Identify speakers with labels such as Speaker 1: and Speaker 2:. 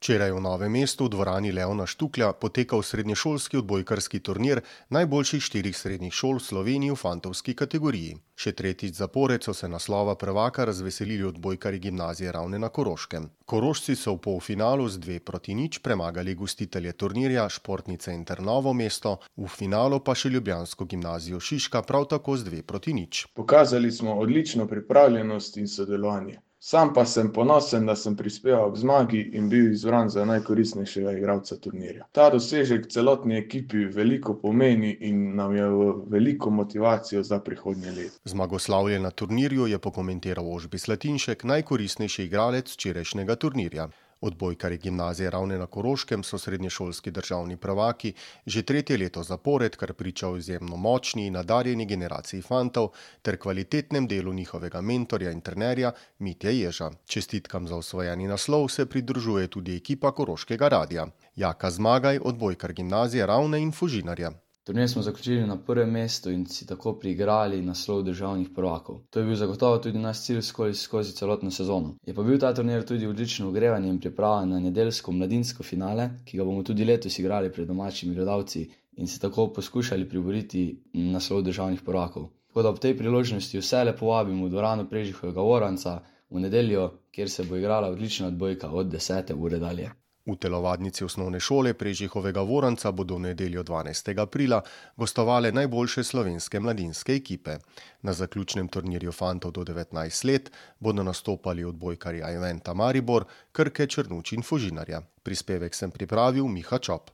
Speaker 1: Včeraj v Novem mestu v dvorani Leona Štuklja potekal srednješolski odbojkarski turnir najboljših 4 srednjih šol v Sloveniji v fantovski kategoriji. Še tretjič zapored so se naslova prvaka razveselili odbojkarji gimnazije Ravne na Koroškem. Korošci so v polfinalu z 2-0 premagali gostitelje turnirja Športnice Inter Novo mesto, v finalu pa še ljubljansko gimnazijo Šiška prav tako z 2-0.
Speaker 2: Pokazali smo odlično pripravljenost in sodelovanje. Sam pa sem ponosen, da sem prispeval k zmagi in bil izbran za najkoristnejšega igralca turnirja. Ta dosežek celotni ekipi veliko pomeni in nam je veliko motivacijo za prihodnje leto.
Speaker 1: Zmagoslavje na turnirju je pokomentiral Ožbi Slatinšek, najkoristnejši igralec včerajšnjega turnirja. Odbojkarji gimnazije Ravne na Koroškem so srednješolski državni prvaki že 3. leto zapored, kar priča o izjemno močni in nadarjeni generaciji fantov ter kvalitetnem delu njihovega mentorja in trenerja Mitje Ježa. Čestitkam za osvojeni naslov se pridružuje tudi ekipa Koroškega radia. Jaka Zmagaj, odbojkar gimnazije Ravne in Fužinarja.
Speaker 3: Turnir smo zaključili na prvem mestu in si tako priigrali naslov državnih prvakov. To je bil zagotovo tudi naš cilj skozi celotno sezono. Je pa bil ta turnir tudi odlično ogrevanje in priprava na nedeljsko mladinsko finale, ki ga bomo tudi letos igrali pred domačimi gledalci in se tako poskušali priboriti naslov državnih prvakov. Tako da ob tej priložnosti vse lepo vabimo v dvorano Prežihojega Voranca v nedeljo, kjer se bo igrala odlična odbojka od 10. ure dalje.
Speaker 1: V telovadnici osnovne šole Prežihovega Voranca bodo v nedeljo 12. aprila gostovale najboljše slovenske mladinske ekipe. Na zaključnem turnirju fantov do 19 let bodo nastopali odbojkarji Ajventa Maribor, Krke, Črnuč in Fužinarja. Prispevek sem pripravil Miha Čop.